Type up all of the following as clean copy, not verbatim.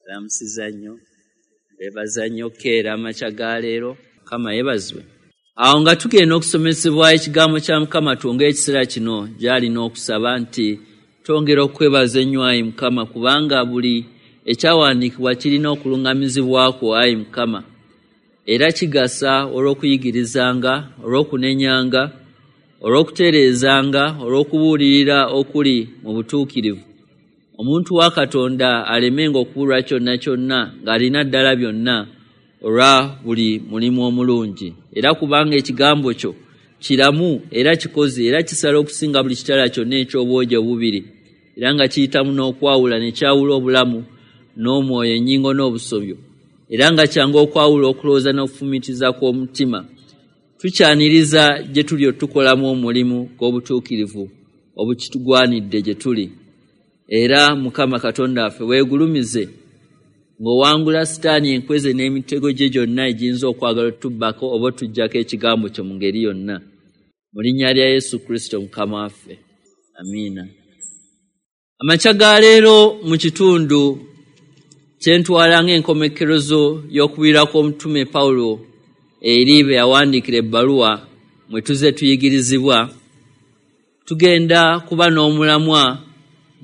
Lamusiza nnyo, beebaza nnyo keera amakya ga leero. Mukama yeebazibwe. Awo nga tugenda okusomesebwa ekigambo kya Mukama, twongere ekiseera kino gy'alina okusaba nti twongera okwebaza ennyo ayi Mukama, kubanga buli ekyawandiikibwa kirina okuluŋŋamizibwa kwo ayi Mukama, era kigasa olw'okuyigirizanga, olw'okunenyanga, olw'okutereezanga, olw'okubuulirira okuli mu butuukirivu, omuntu wa Katonda alemenga okubulwa kyonna kyonna ng'alina ddala byonna olwa buli mulimu omulungi. Era kubanga ekigambo kyo kiramu era kikozi era kisala okusinga buli kitala kyonna eky'obwogi obubiri, era nga kiyitamu n'okwawula ne kyawula obulamu n'omwoyo, ennyingo n'obusobyo, era nga kyangu okwawula okulowooza n'okufumiitiriza kw'omutima. Tukyaniriza gye tuli otukolamu omulimu gw'obutuukirivu obukitugwanidde gye tuli. Era Mukama Katonda waffe, weegulumize ng'owangula Sitaani enkweze n'emitego gye gyonna egiyinza okwagala otubbako oba otuggyako ekigambo kyo mu ngeri yonna. Mu linnya lya Yesu Kristo Mukama waffe, amiina. Amakya ga leero mu kitundu kye ntwala ng'enkomekkerezo y'okubuulira kw'omutume Pawulo eri be yawandiikira ebbaluwa mwe tuzze tuyigirizibwa, tugenda kuba n'omulamwa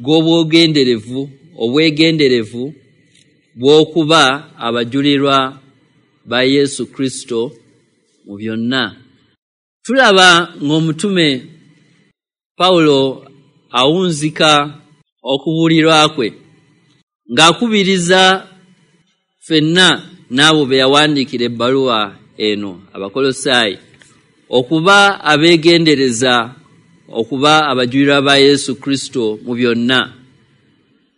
gw'obwegenderevu bw'okuba abajulirwa ba Yesu Kristo mu byonna. Tulaba ng'omutume Pawulo awunzika okubuulirwa kwe ng'akubiriza ffenna n'abo be yawandiikira ebbaluwa eno Abakolosaayi okuba abeegendereza okuba abajulirwa ba Yesu Kristo mu byonna.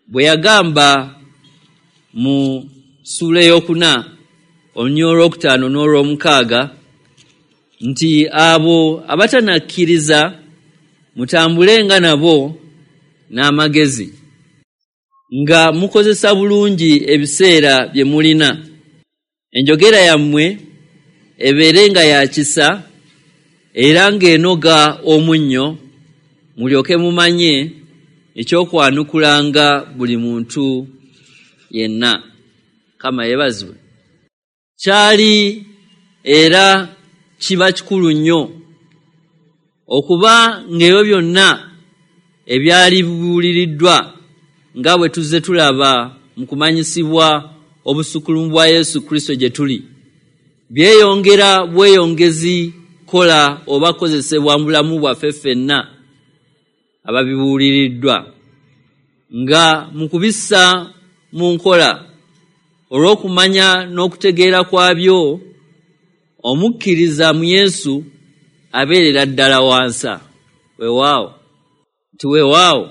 Bwe yagamba mu ssuula ey'okuna olunyiriri olwokutaano n'olwomukaaga nti abo abatanakkiriza mutambulenga nabo n'amagezi, nga mukozesa bulungi ebiseera bye mulina, enjogera yammwe ebeere nga ya kisa era ng'enoga omunnyo, mulyoke mumanye ekyokwanukulanga buli muntu yenna. Mukama yeebazibwe. Kyali era kiba kikulu nnyo okuba ng'ebyo byonna ebyali bibuuliriddwa nga bwe tuzze tulaba mu kumanyisibwa obusukkulumu bwa Yesu Kristo gye tuli, byeyongera bweyongezi kola oba kozesebwa mu bulamu bwaffe ffenna ababibuuliriddwa, nga mu kubissa mu nkola olw'okumanya n'okutegeera kwabyo, omukkiriza mu Yesu abeerera ddala wansa. Weewaawo nti weewaawo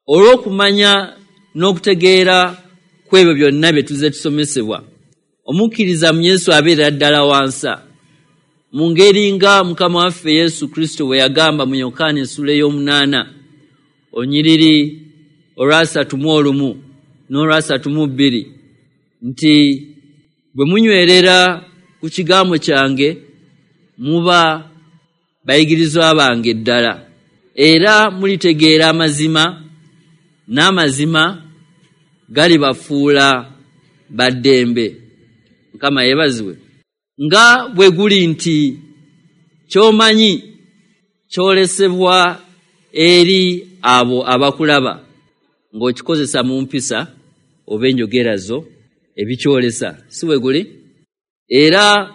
olw'okumanya n'okutegeera kw'ebyo byonna bye tuzze tusomesebwa, omukkiriza mu Yesu abeerera ddala wansa, mu ngeri nga Mukama waffe Yesu Kristo bwe yagamba mu Yokaana essuula ey'omunaana olunyiriri olwasatu mu olumu n'olwasatu mu bbiri nti bwe munywerera ku kigambo kyange muba bayigirizwa bange ddala, era mulitegeera amazima, n'amazima galibafuula ba ddembe. Mukama yeebazibwe. Nga bwe guli nti ky'omanyi kyolesebwa eri abo abakulaba ng'okikozesa mu mpisa oba enjogera zo ebikyolesa, si bwe guli? Era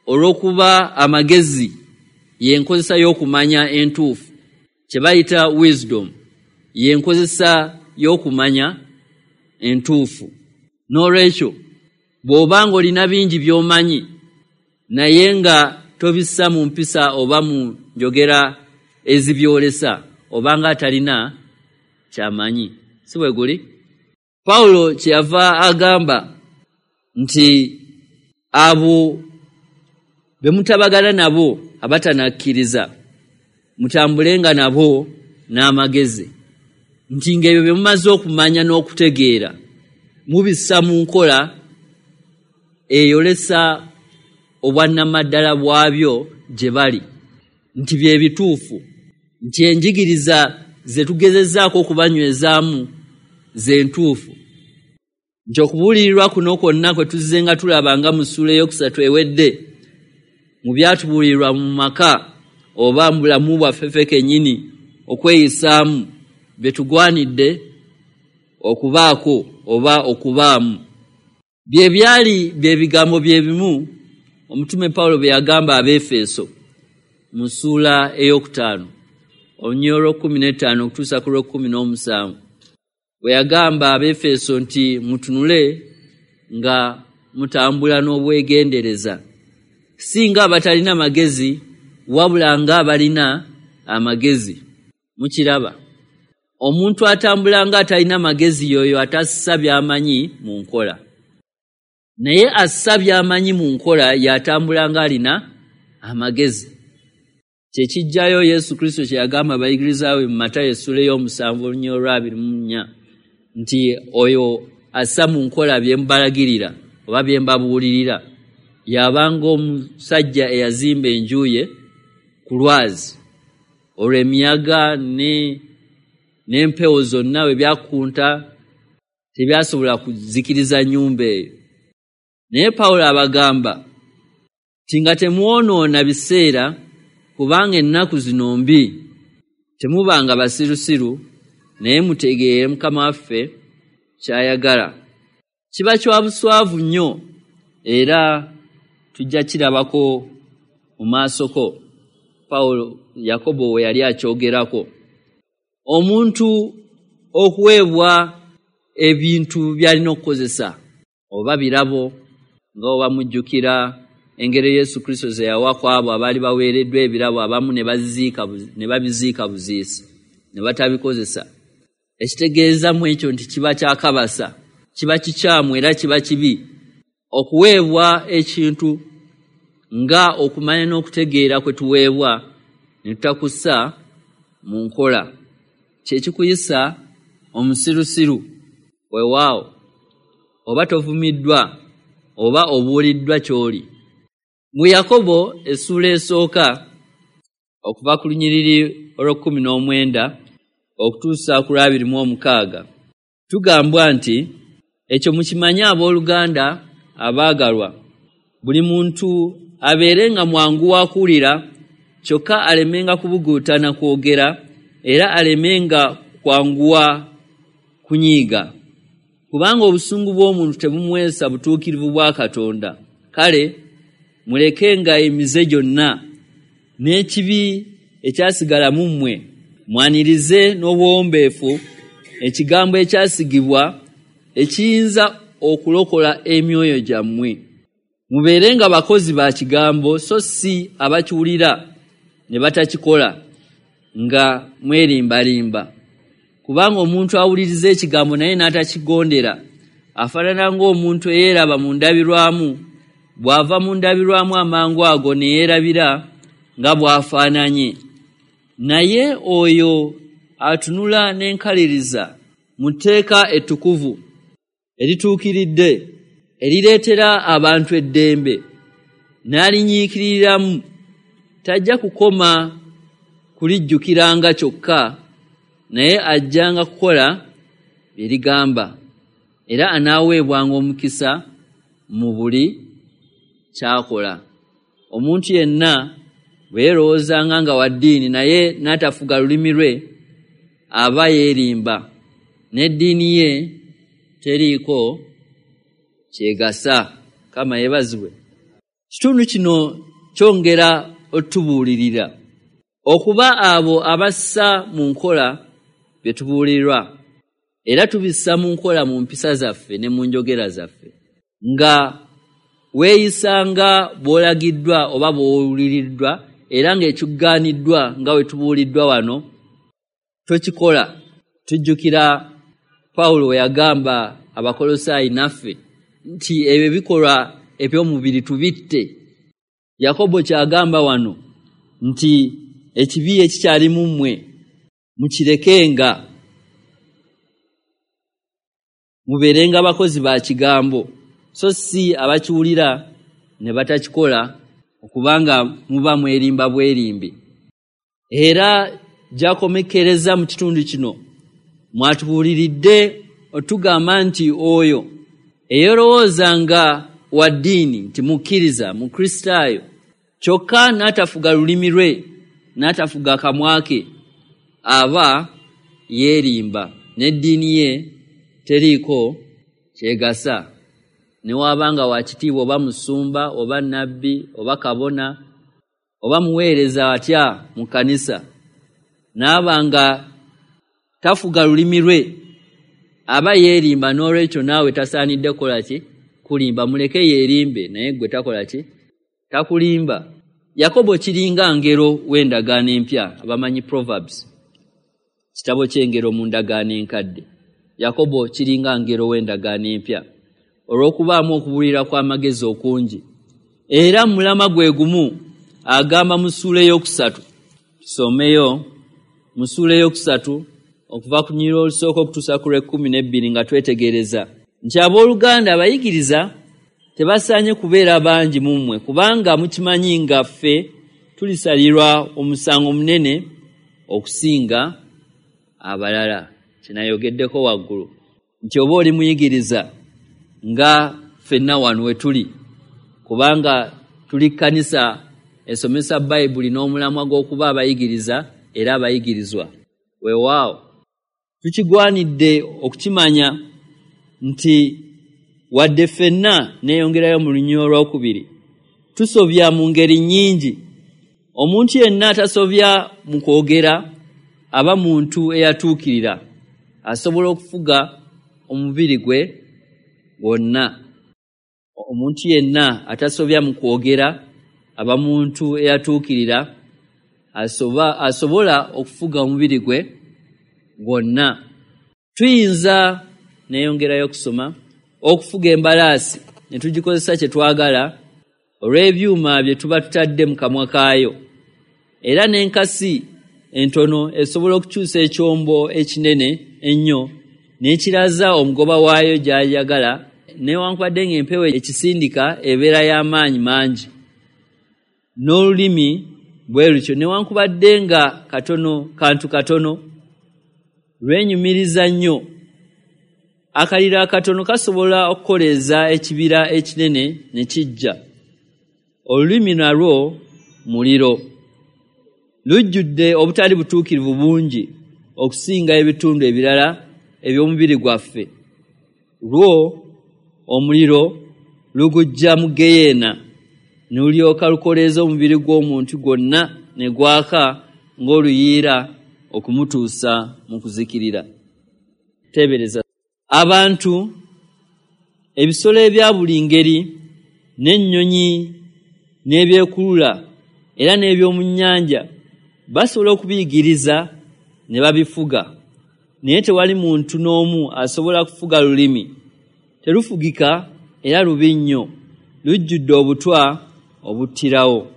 olw'okuba amagezi y'enkozesa y'okumanya entuufu, kye bayita wisdom y'enkozesa y'okumanya entuufu. N'olwekyo bw'oba ng'olina bingi by'omanyi naye nga tobissa mu mpisa oba mu njogera ezibyolesa, oba nga atalina ky'amanyi, si bwe guli? Pawulo kyeyava agamba nti abo be mutabagana nabo abatanakkiriza mutambulenga nabo n'amagezi, nti ng'ebyo bye mumaze okumanya n'okutegeera mubissa mu nkola eyolesa obwannamaddala bwabyo gye bali, nti bye bituufu, nti enjigiriza ze tugezezzaako okubanywezaamu ze ntuufu. Nti okubuulirirwa kuno kwonna kwe tuzze nga tulaba nga mu ssuula eyokusatu ewedde, mu byatubuulirirwa mu maka oba mu bulamu bwaffe ffe kennyini okweyisaamu, bye tugwanidde okubaako oba okubaamu. Bye byali bye bigambo bye bimu omutume Pawulo bye yagamba Abeefeso mu ssuula 5, olunyiriri olw'okkumi n'ettaano okutuusa ku lw'okkumi n'omusanvu, bwe yagamba Abeefeso nti mutunule nga mutambula n'obwegendereza, si nga abatalina magezi, wabula nga abalina amagezi. Mukiraba, omuntu atambula nga atalina magezi y'oyo atassa by'amanyi mu nkola, naye assa by'amanyi mu nkola y'atambula ng'alina amagezi. Kye kijjayo Yesu Kristo kye yagamba abayigiriza be mu Matayo essula 7, olunyiriri olwa 24, nti oyo assa mu nkola bye mbalagirira oba bye mbabuulirira y'abanga omusajja eyazimba enju ye ku lwazi, olwo emiyaga n'empewo zonna bwe byakunta tebyasobola kuzikiriza nnyumba eyo. Naye Pawulo abagamba nti nga temwonoona biseera, kubanga ennaku zino mbi. Temubanga basirusiru, naye mutegeere Mukama waffe ky'ayagala. Kiba kya buswavu nnyo, era tujja kirabako mu maasoko Pawulo Yakobo we yali akyogerako. Omuntu okuweebwa ebintu by'alina okukozesa oba birabo, nga oba mujjukira engeri Yesu Kristo ze yawa ku abo abaali baweereddwa ebirabo, abamu ne babiziika buziisi ne batabikozesa. Ekitegeeza mu ekyo nti kiba kyakabasa, kiba kikyamu era kiba kibi okuweebwa ekintu nga okumanya n'okutegeera kwe tuweebwa ne tutakussa mu nkola. Kye kikuyisa omusirusiru. Weewaawo oba tovumiddwa oba obuuliddwa ky'oli. Mu Yakobo essuula 1, okuva ku lunyiriri olw'okkumi n'omwenda okutuusa ku lwa 26, tugambwa nti ekyo mukimanye, abooluganda abaagalwa, buli muntu abeerenga mwangu wa kuwulira, kyokka alemenga kubuguutana kwogera, era alemenga kwanguwa kunyiiga, kubanga obusungu bw'omuntu tebumuweesa butuukirivu bwa Katonda. Kale mulekenga emize gyonna n'ekibi ekyasigala mu mmwe, mwanirize n'obuwombeefu ekigambo ekyasigibwa ekiyinza okulokola emyoyo gyammwe. Mubeerenga bakozi ba kigambo, so si abakiwulira ne batakikola, nga mwerimbarimba. Kubanga omuntu awuliriza ekigambo naye n'atakigondera afaanana ng'omuntu eyeeraba mu ndabirwamu, bw'ava mu ndabirwamu amangu ago ne yeerabira nga bw'afaananye. Naye oyo atunula n'enkaliriza mu tteeka ettukuvu erituukiridde, erireetera abantu eddembe, n'alinyiikiriramu, tajja kukoma kulijjukiranga kyokka, naye ajjanga kukola bye ligamba, era anaaweebwanga omukisa mu buli ky'akola. Omuntu yenna bwe yeerowoozanga nga wa ddiini naye n'atafuga lulimi lwe, aba yeerimba, n'eddiini ye teriiko kyegasa. Kama yeebazibwe. Kitundu kino kyongera otubuulirira okuba abo abassa mu nkola bye tubuulirwa, era tubissa mu nkola mu mpisa zaffe ne mu njogera zaffe. Nga weeyisanga bw'olagiddwa oba bw'owuliriddwa, era ng'ekikugaaniddwa nga bwe tubuuliddwa wano tokikola. Tujjukira Pawulo we yagamba Abakolosaayi naffe nti ebyo ebikolwa eby'omubiri tubitte. Yakobo ky'agamba wano nti ekibi ekikyali mu mmwe mukirekenga, mubeerenga bakozi ba kigambo, so si abakiwulira ne batakikola, okubanga muba mwerimba bwerimbi. Era gy'akomekkereza mu kitundu kino mwatubuuliridde otugamba nti oyo Eyerowooza nga wa ddiini nti mukkiriza, mukristaayo, kyokka n'atafuga lulimi lwe, n'atafuga kamwa ke, aba yeerimba, n'eddiini ye teriiko kyegasa. Ne waaba nga wa kitiibwa oba musumba oba nnabbi oba kabona oba muweereza atya mu kkanisa, n'aba nga tafuga lulimi lwe, aba yeerimba. N'olwekyo naawe tasaanidde kukola ki? Kulimba. Muleke yeerimbe, naye ggwe takola ki? Takulimba. Yakobo kiringa ngero w'endagaano empya. Abamanyi Proverbs, kitabo ky'engero mu ndagaano enkadde. Yakobo kiringa ngero w'endagaano empya olw'okubaamu okubuulira kw'amagezi okungi. Era mu mulamwa gwe gumu agamba mu ssuula 3, tusomeyo mu ssuula 3 okuva ku lunyiriri olusooka okutuusa ku lw'e12 nga twetegereza nti abooluganda, abayigiriza tebasaanye kubeera bangi mu mmwe, kubanga mukimanyi nga ffe tulisalirwa omusango munene okusinga abalala. Kinayogeddeko waggulu nti oba oli muyigiriza nga ffenna wano we tuli, kubanga tuli kkanisa esomesa Bayibuli n'omulamwa gw'okuba abayigiriza era abayigirizwa. Weewaawo tukigwanidde okukimanya nti wadde ffenna, neeyongerayo mu lunyiriri olwokubiri, tusobya mu ngeri nnyingi. Omuntu yenna atasobya mu kwogera aba muntu eyatuukirira, asobola okufuga omubiri gwe gwonna. Omuntu yenna atasobya mu kwogera aba muntu eyatuukirira, asobola okufuga omubiri gwe gwonna. Tuyinza, neeyongerayo okusoma, okufuga embalaasi ne tugikozesa kye twagala olw'ebyuma bye tuba tutadde mu kamwa kaayo. Era n'enkasi entono esobola okukyusa ekyombo ekinene ennyo n'ekiraza omugoba waayo gy'ayagala, newankubadde ng'empewo ekisindika ebeera y'amaanyi mangi. N'olulimi bwe lutyo, newankubadde nga katono, kantu katono, lwenyumiriza nnyo. Akaliro akatono kasobola okukoleeza ekibira ekinene ne kijja. Olulimi nalwo muliro, lujjudde obutali butuukirivu bungi okusinga ebitundu ebirala eby'omubiri gwaffe. Lwo omuliro lugujja mu ggeyeena ne lulyoka lukoleeza omubiri gw'omuntu gwonna ne gwaka ng'oluyiira okumutuusa mu kuzikirira. Teebereza abantu, ebisolo ebya buli ngeri, n'ennyonyi n'ebyekulula era n'eby'omu nnyanja basobola okubiyigiriza ne babifuga, naye tewali muntu n'omu asobola kufuga lulimi. Terufugika era lubi nnyo, lujjudde obutwa obuttirawo.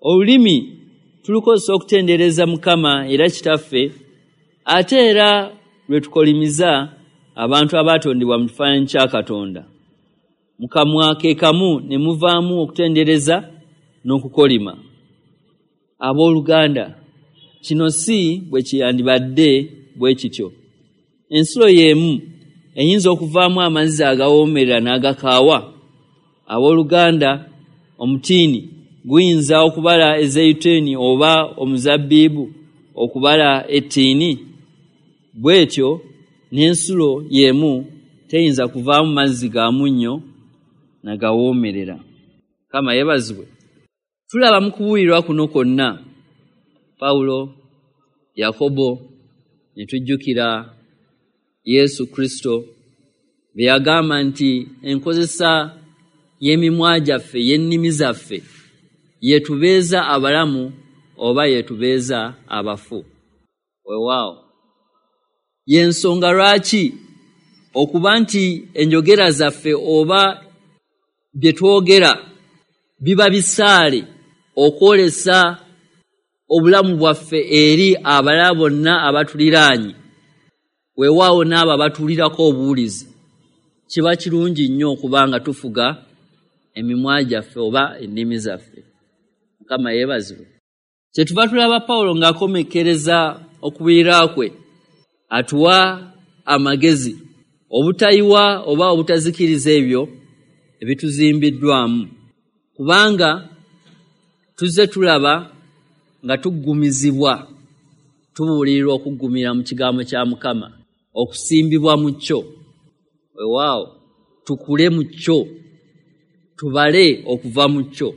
Olulimi tulukozesa okutendereza Mukama era Kitaffe, ate era lwe tukolimiza abantu abaatondebwa mu kifaananyi kya Katonda. Mu kamwa ke kamu ne muvaamu okutendereza n'okukolima. Abooluganda, kino si bwe kyandibadde bwe kityo. Ensulo y'emu eyinza okuvaamu amazzi agawoomerera n'agakaawa? Abooluganda, omutiini guyinza okubala ezeyituuni oba omuzabbibu okubala ettiini? Bw'etyo n'ensulo y'emu teyinza kuvaamu mazzi ga munnyo na gawoomerera. Mukama yeebazibwe. Tulaba mu kubuulirwa kuno kwonna Pawulo, Yakobo, ne tujjukira Yesu Kristo bye yagamba nti enkozesa y'emimwa gyaffe, y'ennimi zaffe, yetubeeza abalamu oba yetubeeza abafu. Weewaawo y'ensonga lwaki okuba nti enjogera zaffe oba bye twogera biba bisaale okwolesa obulamu bwaffe eri abalala bonna abatuliraanye, weewaawo n'abo abatuwulirako obuwulizi. Kiba kirungi nnyo okuba nga tufuga emimwa gyaffe oba ennimi zaffe. Mukama yeebazibwe. Kyetuva tulaba Pawulo ng'akomekkereza okubuulira kwe, atuwa amagezi. Obutayiwa oba obutazikiriza ebyo ebituzimbiddwamu, kubanga tuzze tulaba nga tuggumizibwa, tubuulirirwa okuggumira mu kigambo kya Mukama, okusimbibwa mu kyo. Weewaawo tukule mu kyo, tubale okuva mu kyo,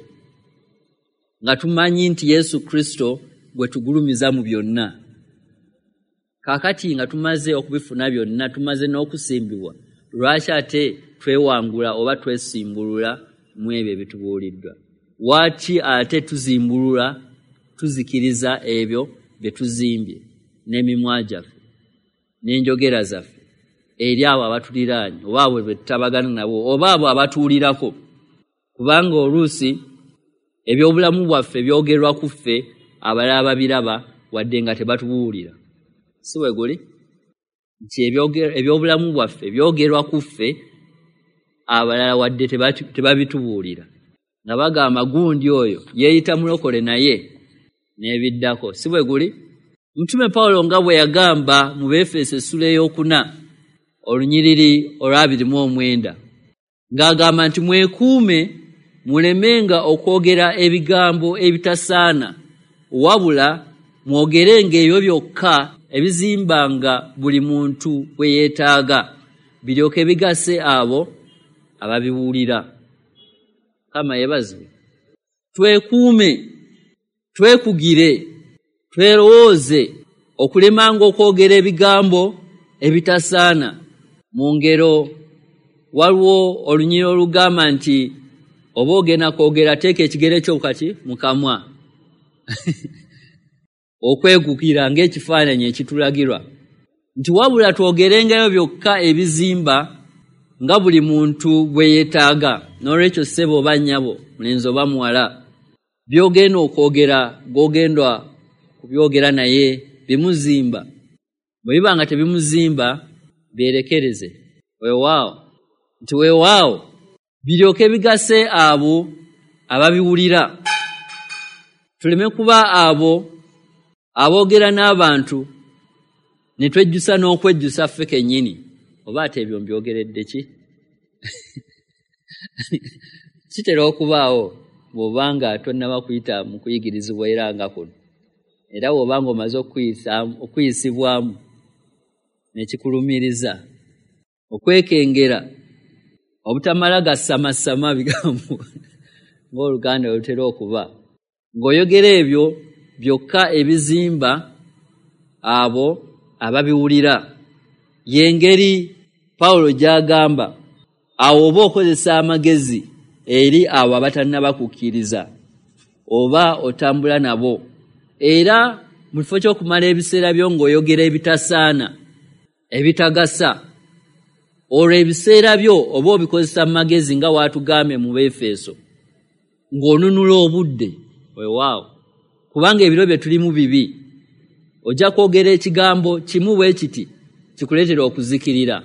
nga tumanyi nti Yesu Kristo gwe tugulumiza mu byonna. Kaakati nga tumaze okubifuna byonna, tumaze n'okusimbibwa, lwaki ate twewangula oba twesimbulula mu ebyo ebitubuuliddwa? Lwaki ate tuzimbulula, tuzikiriza ebyo bye tuzimbye n'emimwa gyaffe n'enjogera zaffe eri abo abatuliraanye, oba abo be tutabagana nabo, oba abo abatuwulirako? Kubanga oluusi ebyobulamu bwaffe byogerwa ku ffe, abalala babiraba wadde nga tebatubuulira. Si bwe guli nti ebyobulamu bwaffe byogerwa ku ffe, abalala wadde tebabitubuulira, nga bagamba gundi oyo yeeyita mulokole naye n'ebiddako. Si bwe guli? Mutume Pawulo nga bwe yagamba mu Beefeso essula 4 olunyiriri olwa 29, ng'agamba nti mwekuume mulemenga okwogera ebigambo ebitasaana, wabula mwogerenga ebyo byokka ebizimbanga buli muntu bwe yeetaaga, biryoke bigase abo ababiwulira. Mukama yeebazibwe. Twekuume, twekugire, twerowooze okulemanga okwogera ebigambo ebitasaana. Mu ngero waliwo olunyiriri olugamba nti oba ogenda kwogera, teeka ekigere kyo kati mu kamwa. Okwegukira ng'ekifaananyi ekitulagirwa nti wabula twogerengayo byokka ebizimba nga buli muntu bwe yeetaaga. N'olwekyo ssebo oba nnyabo, mulenzi oba muwala, by'ogenda okwogera gw'ogenda kubyogera naye bimuzimba. Bwe biba nga tebimuzimba, byerekereze. Weewaawo nti weewaawo biryoke bigase abo ababiwulira. Tuleme kuba abo aboogera n'abantu ne twejjusa n'okwejjusa ffe kennyini. Oba ate ebyo mbyogeredde ki? Kitera okubaawo bw'obanga tonnaba kuyita mu kuyigirizibwa era nga kuno, era bw'obanga omaze okuyisibwamu ne kikulumiriza okwekengera obutamala gasamassama bigambo ng'Oluganda lutera okuba, ng'oyogera ebyo byokka ebizimba abo ababiwulira. Y'engeri Pawulo gy'agamba awo oba okozesa amagezi eri abo abatannaba kukkiriza oba otambula nabo, era mu kifo ky'okumala ebiseera byo ng'oyogera ebitasaana, ebitagasa, olwo ebiseera byo oba obikozesa mu magezi nga waatugambye mu Beefeso, ng'onunula obudde. Weewaawo, kubanga ebiro bye tulimu bibi. Ojja kwogera ekigambo kimu bwe kiti kikuleetera okuzikirira,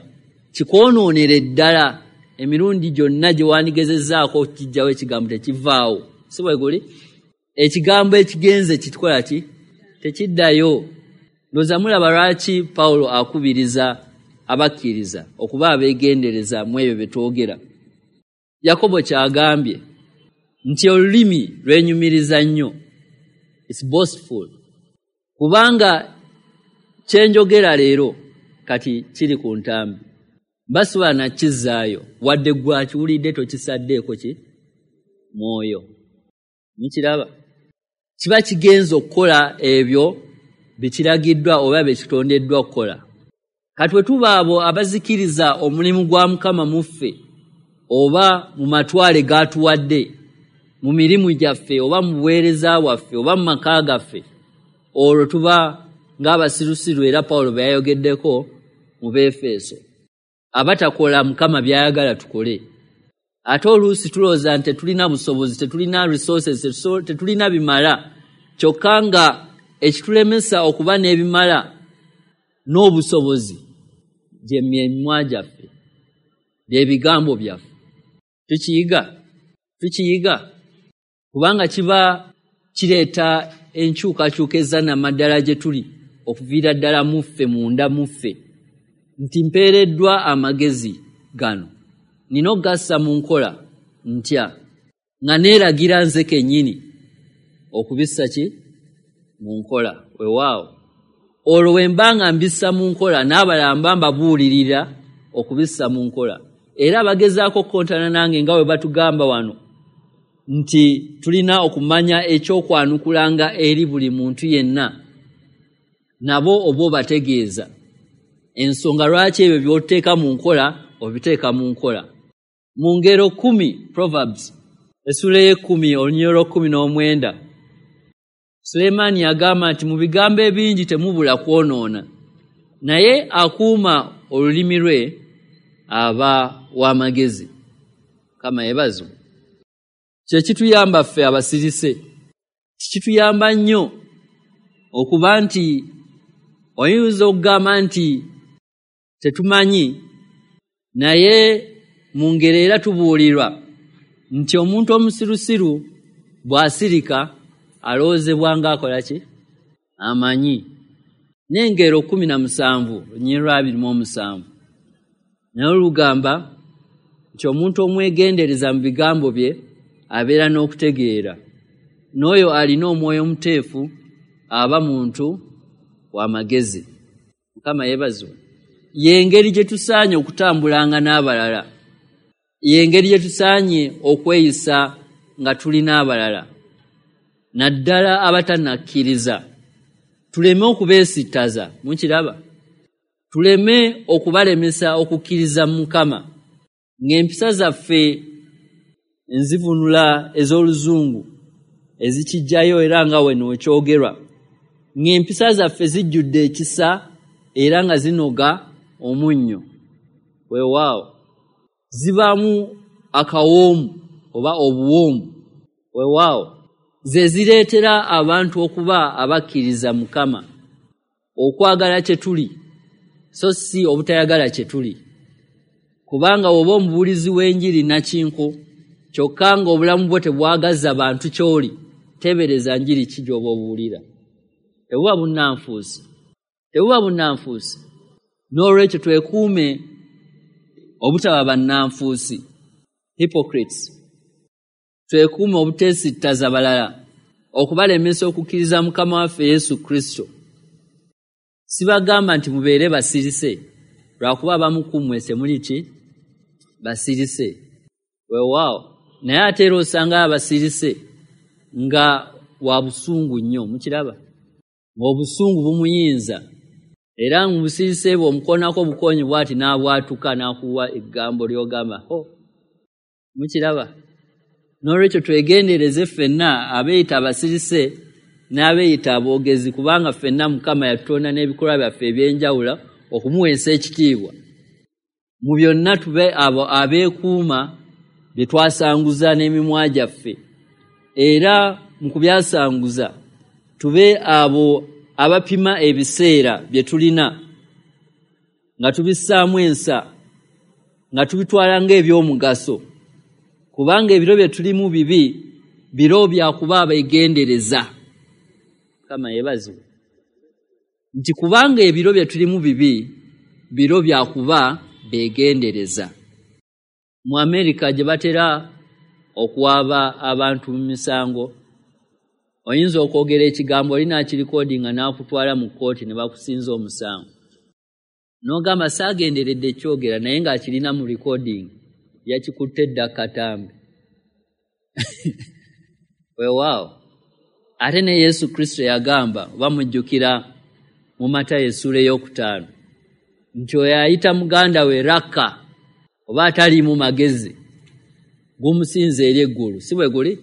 kikwonoonere ddala. Emirundi gyonna gye wandigezezzaako okukijjawo ekigambo tekivaawo. Si bwe guli? Ekigambo ekigenze kitukola ki? Tekiddayo. Ndowooza mulaba lwaki Pawulo akubiriza abakkiriza okuba abeegendereza mu ebyo bye twogera. Yakobo ky'agambye nti olulimi lwenyumiriza nnyo, it's boastful, kubanga kyenjogera leero kati kiri ku ntambi, basobola nakizzaayo, wadde gwe akiwulidde tokisaddeeko ki mwoyo. Mukiraba, kiba kigenza okukola ebyo bye kiragiddwa oba bye kitondeddwa okukola. Kati bwe tuba abo abazikiriza omulimu gwa Mukama mu ffe oba mu matwale g'atuwadde mu mirimu gyaffe oba mu buweereza bwaffe oba mu maka gaffe, olwo tuba ng'abasirusiru, era Pawulo bwe yayogeddeko mu Beefeso, abatakola Mukama by'ayagala tukole. Ate oluusi tulowooza nti tetulina busobozi, tetulina resources, tetulina bimala, kyokka nga ekitulemesa okuba n'ebimala n'obusobozi gye myemimwa gyaffe, by'ebigambo byaffe. Tukiyiga kubanga kiba kireeta enkyukakyuka ezannamaddala gye tuli okuviira ddala mu ffe, munda mu ffe. nti mpeereddwa amagezi gano, nina okugassa mu nkola ntya nga neeragira nze kennyini okubissa ki mu nkola. Weewaawo olwo bwe mba nga mbissa mu nkola, n'abalala mba mbabuulirira okubissa mu nkola. Era abagezaako okukontana nange nga bwe batugamba wano nti tulina okumanya ekyokwanukulanga eri buli muntu yenna, nabo oba obategeeza ensonga lwaki ebyo by'oteeka mu nkola obiteeka mu nkola. Mu ngero 10, Proverbs essula ey'ekumi olunyiriri lw'ekumi n'omwenda, Sulemaani yagamba nti mu bigambo ebingi temubula kwonoona, naye akuuma olulimi lwe aba w'amagezi. Mukama yeebazibwe. Kye kituyamba ffe abasirise, kikituyamba nnyo okuba nti oyinza okugamba nti tetumanyi, naye mu ngeri era tubuulirwa nti omuntu omusirusiru bw'asirika alowoozebwa ng'akola ki? Amanyi. N'engero 17 olunyiriri lwa 27 naye olugamba nti omuntu omwegendereza mu bigambo bye abeera n'okutegeera, n'oyo alina omwoyo omuteefu aba muntu w'amagezi. Mukama yeebazibwe. Y'engeri gye tusaanye okutambulanga n'abalala, y'engeri gye tusaanye okweyisa nga tuli n'abalala, naddala abatannakkiriza. Tuleme okubeesittaza, mukiraba? Tuleme okubalemesa okukkiriza mu Mukama, ng'empisa zaffe enzivunula ez'oluzungu ezikijjayo era nga weno ekyogerwa, ng'empisa zaffe zijjudde ekisa era nga zinoga omunnyo. Weewaawo zibaamu akawoomu oba obuwoomu. Weewaawo ze zireetera abantu okuba abakkiriza Mukama, okwagala kye tuli so si obutayagala kye tuli. Kubanga bw'oba omubuulizi w'enjiri nakinko kyokka ng'obulamu bwo tebwagaza bantu ky'oli, teebereza njiri ki gy'oba obuulira. Tebuba bunnanfuusi, tebuba bunnanfuusi. N'olwekyo twekuume obutaba bannanfuusi, hypocrites. Twekuume obuteesittaza balala, okubalemesa okukkiriza Mukama waffe Yesu Kristo. Sibagamba nti mubeere basirise, lwakuba abamu ku mmwe temuli ki basirise. Weewaawo naye ate era osanga abasirise nga wa busungu nnyo, mukiraba? Ng'obusungu bumuyinza, era mu busirise bwe omukoonako obukoonyi bw'ati n'abwatuka n'akuwa eggambo ly'ogamba ho, mukiraba? N'olwekyo twegendereze ffenna abeeyita abasirise n'abeeyita aboogezi, kubanga ffenna Mukama yatutonda n'ebikolwa byaffe eby'enjawulo okumuweesa ekitiibwa. Mu byonna tube abo abeekuuma bye twasanguza n'emimwa gyaffe, era mu kubyasanguza tube abo abapima ebiseera bye tulina nga tubissaamu ensa, nga tubitwala ng'ebyomugaso, kubanga ebiro bye tulimu bibi, biro bya kuba abeegendereza. Mukama yeebazibwe nti kubanga ebiro bye tulimu bibi, biro bya kuba beegendereza. Mu Amerika gye batera okuwaaba abantu mu misango, oyinza okwogera ekigambo oli n'akirikodinga n'akutwala mu kkooti ne bakusinza omusango. N'ogamba saagenderedde kyogera, naye ng'akirina mu recording, yakikutte dda katambi. Weewaawo ate ne Yesu Kristo yagamba, oba mujjukira mu Matayo essuula 5, nti oyo ayita muganda we Raka oba ataliimu magezi gumusinza eri eggulu, si bwe guli?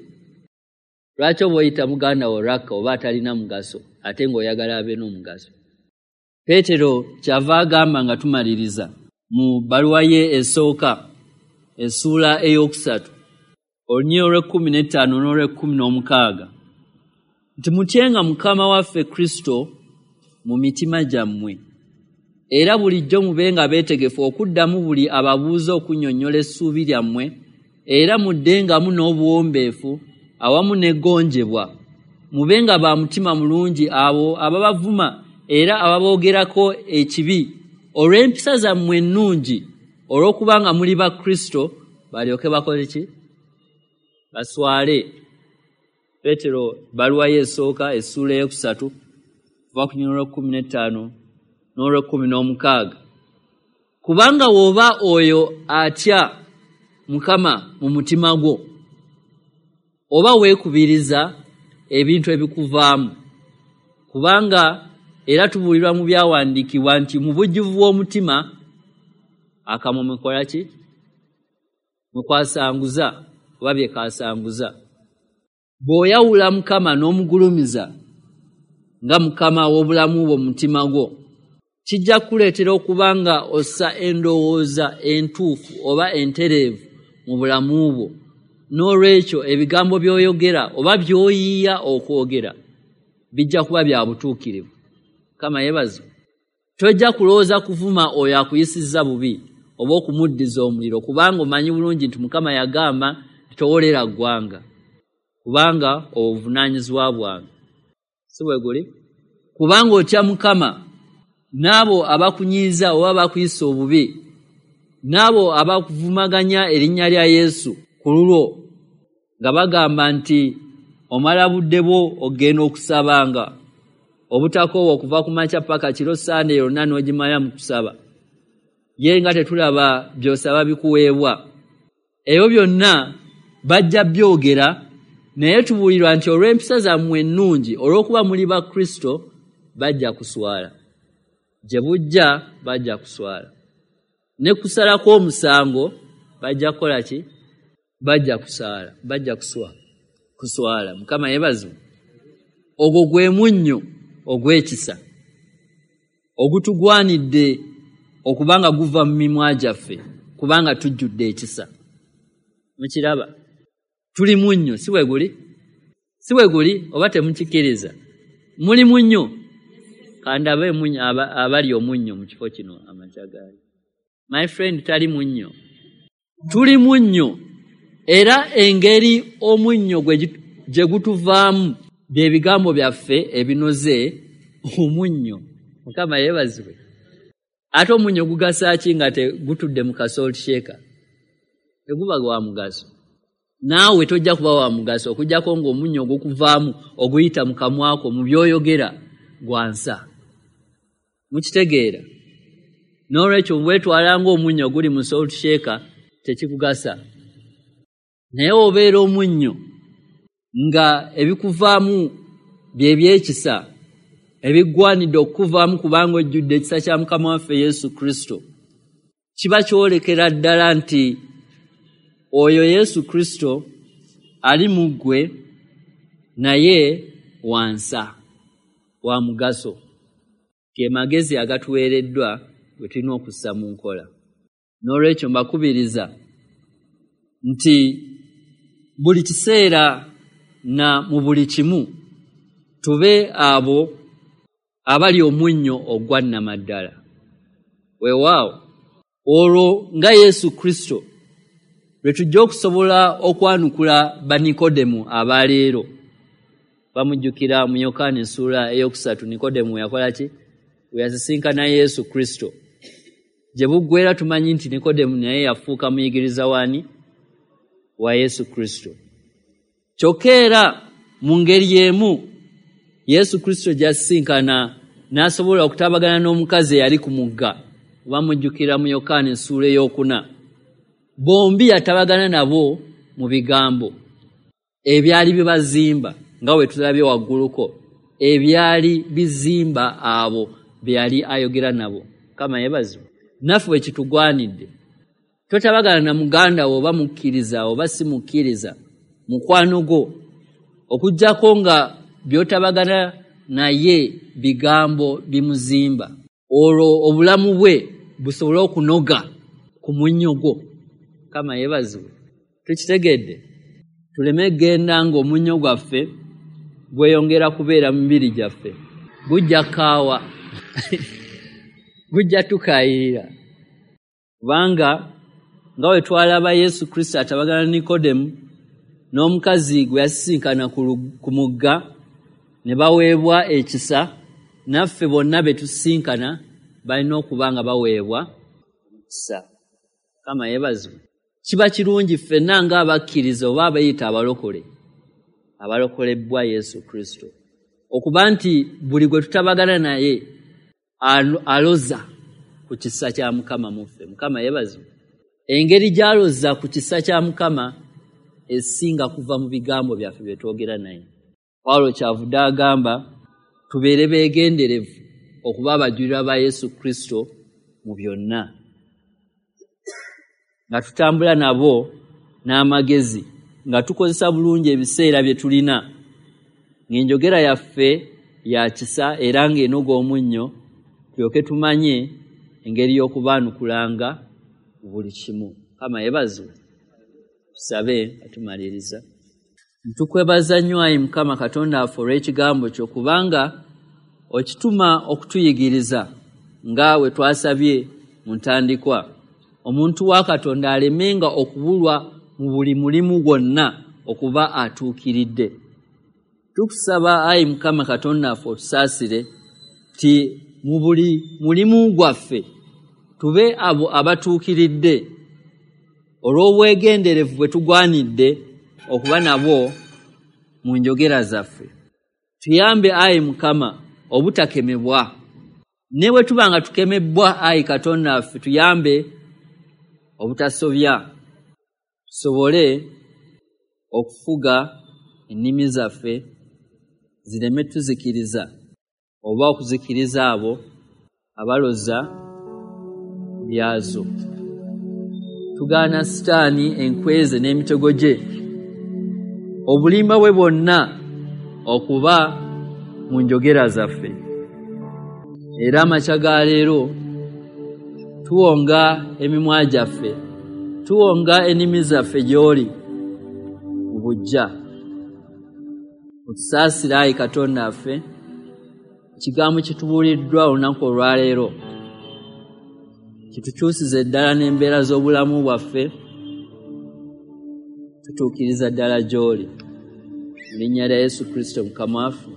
Lwaki oba oyita muganda wo Raka oba atalina mugaso ate ng'oyagala abe n'omugaso? Peetero kyava agamba nga tumaliriza mu bbaluwa ye esooka essuula 3 olunyiriri olw'e15 n'olw'e16 nti mutyenga Mukama waffe Kristo mu mitima gyammwe, era bulijjo mubenga beetegefu okuddamu buli ababuuza okunnyonnyola essuubi lyammwe, era muddengamu n'obuwombeefu awamu n'eggonjebwa. Mubenga ba mutima mulungi abo ababavuma era ababoogerako ekibi olw'empisa zammwe ennungi, olw'okubanga muli ba Kristo, balyoke bakole ki? Baswale. Petero ebbaluwa ye esooka essuula 3 kuva ku lunyiriri lw'e15 n'olw'e16. Kubanga w'oba oyo atya Mukama mu mutima gwo, oba weekubiriza ebintu ebikuvaamu. Kubanga era tubuulirwa mu byawandiikibwa nti mu bujjuvu bw'omutima akamwa mukola ki? Mukwasanguza oba bye kasanguza. Bw'oyawula Mukama n'omugulumiza nga Mukama w'obulamu bwo mu mutima gwo, kijja kukuleetera okuba nga ossa endowooza entuufu oba entereevu mu bulamu bwo. N'olwekyo ebigambo by'oyogera oba by'oyiiya okwogera bijja kuba bya butuukirivu. Mukama yeebazibwe. Tojja kulowooza kuvuma oyo akuyisizza bubi oba okumuddiza omuliro, kubanga omanyi bulungi nti Mukama yagamba nti towolera ggwanga, kubanga obuvunaanyizibwa bwange. Si bwe guli? Kubanga otya Mukama, n'abo abakunyiiza oba abakuyisa obubi, n'abo abakuvumaganya erinnya lya Yesu ku lulwo, nga bagamba nti omala budde bwo ogenda okusabanga obutakoowa okuva ku makya paka kiro, Sande yonna n'ogimala mu kusaba, ye nga tetulaba by'osaba bikuweebwa. Ebyo byonna bajja byogera, naye tubuulirwa nti olw'empisa zammwe ennungi, olw'okuba muli ba Kristo, bajja kuswala. Gye bujja bajja kuswala. Ne kusala kw'omusango bajja kukola ki? Bajja kusala, bajja kuswala. Mukama yeebazibwe. Ogwo gwe munnyo ogw'ekisa ogutugwanidde okubanga guva mu mimwa gyaffe, kubanga tujjudde ekisa. Mukiraba? Tuli munnyo, si bwe guli? Si bwe guli oba temukikkiriza? Muli munnyo. Kandabe munnyo abali omunnyo mu kifo kino amakya gaali. My friend, tali munnyo. Tuli munnyo, era engeri omunnyo gye gutuvaamu bye bigambo byaffe ebinoze omunnyo. Mukama yeebazibwe. Ate omunnyo gugasa ki nga tegutudde mu ka salt shaker? Teguba gwa mugaso. Naawe tojja kuba wa mugaso okuggyako ng'omunnyo ogukuvaamu oguyita mu kamwa ko mu by'oyogera gwa nsa. Mukitegeera? N'olwekyo bwetwala ng'omunnyo oguli mu salt shaker tekikugasa. Naye obeera omunnyo nga ebikuvaamu bye by'ekisa ebigwanidde okukuvaamu, kubanga ojjudde ekisa kya Mukama waffe Yesu Kristo. Kiba kyolekera ddala nti oyo Yesu Kristo ali mu ggwe, naye wansa, wa mugaso. Ge magezi agatuweereddwa bwe tulina okussa mu nkola. N'olwekyo mbakubiriza nti buli kiseera na mu buli kimu tube abo abali omunnyo ogwa nnamaddala. Weewaawo, olwo nga Yesu Kristo lwe tujja okusobola okwanukula Banikodemu abaleero. Bamujjukira mu Yokaana essuula 3, Nikodemu yakola ki? We yasisinkana Yesu Kristo. Gye buggweera tumanyi nti Nikodemu naye yafuuka muyigiriza w'ani? Wa Yesu Kristo. Kyokka era mu ngeri emu Yesu Kristo gy'asisinkana n'asobola okutabagana n'omukazi eyali ku mugga, bamujjukira mu Yokaana essuula 4. Bombi yatabagana nabo mu bigambo ebyali bibazimba, nga bwe tulabye wagguluko, ebyali bizimba abo be yali ayogera nabo. Mukama yeebazibwe. Naffe bwe kitugwanidde. Totabagana na muganda wo oba mukkiriza oba si mukkiriza, mukwano gwo, okuggyako nga by'otabagana naye bigambo bimuzimba, olwo obulamu bwe busobole okunoga ku munnyo gwo. Mukama yeebazibwe. Tukitegedde? Tuleme genda ng'omunnyo gwaffe gweyongera kubeera mu mibiri gyaffe, gujja kaawa, gujja tukaayirira. Kubanga nga bwe twalaba Yesu Kristo atabagana ne Nikodemu n'omukazi gwe yasisinkana ku mugga ne baweebwa ekisa, naffe bonna be tusisinkana balina okuba nga baweebwa omukisa. Mukama yeebazibwe. Kiba kirungi ffenna ng'abakkiriza oba abeeyita abalokole, abalokolebbwa Yesu Kristo, okuba nti buli gwe tutabagana naye aloza ku kisa kya Mukama mu ffe. Mukama yeebazibwe. Engeri gy'aloza ku kisa kya Mukama esinga kuva mu bigambo byaffe bye twogera naye. Pawulo kyavudde agamba tubeere beegenderevu okuba abajulirwa ba Yesu Kristo mu byonna, nga tutambula nabo n'amagezi, nga tukozesa bulungi ebiseera bye tulina, ng'enjogera yaffe ya kisa era ng'enoga omunnyo, tulyoke tumanye engeri y'okubaanukulanga mu buli kimu. Mukama yeebazibwe. Tusabe nga tumaliriza. Ntukwebaza nnyo ayi Mukama Katonda waffe olw'ekigambo kyo, kubanga okituma okutuyigiriza nga bwe twasabye mu ntandikwa. Omuntu wa Katonda alemenga okubulwa mu buli mulimu gwonna okuba atuukiridde. Tukusaba ayi Mukama Katonda waffe otusaasire ti mu buli mulimu gwaffe tube abo abatuukiridde olw'obwegenderevu bwe tugwanidde okuba nabwo mu njogera zaffe. Tuyambe ayi Mukama obutakemebwa. Ne bwe tuba nga tukemebbwa ayi Katonda waffe, tuyambe obutasobya, tusobole okufuga ennimi zaffe zireme tuzikiriza oba okuzikiriza abo abaloza byazo. Tugaana Sitaani enkweze n'emitego gye, obulimba bwe bwonna okuba mu njogera zaffe. Era amakya ga leero tuwonga emimwa gyaffe, tuwonga ennimi zaffe gy'oli mu buggya. Otusaasire ayi Katonda waffe, ekigambo kitubuuliddwa olunaku olwaleero kitukyusize ddala n'embeera z'obulamu bwaffe, tutuukiriza ddala gy'oli. Mu linnya lya Yesu Kristo Mukama waffe.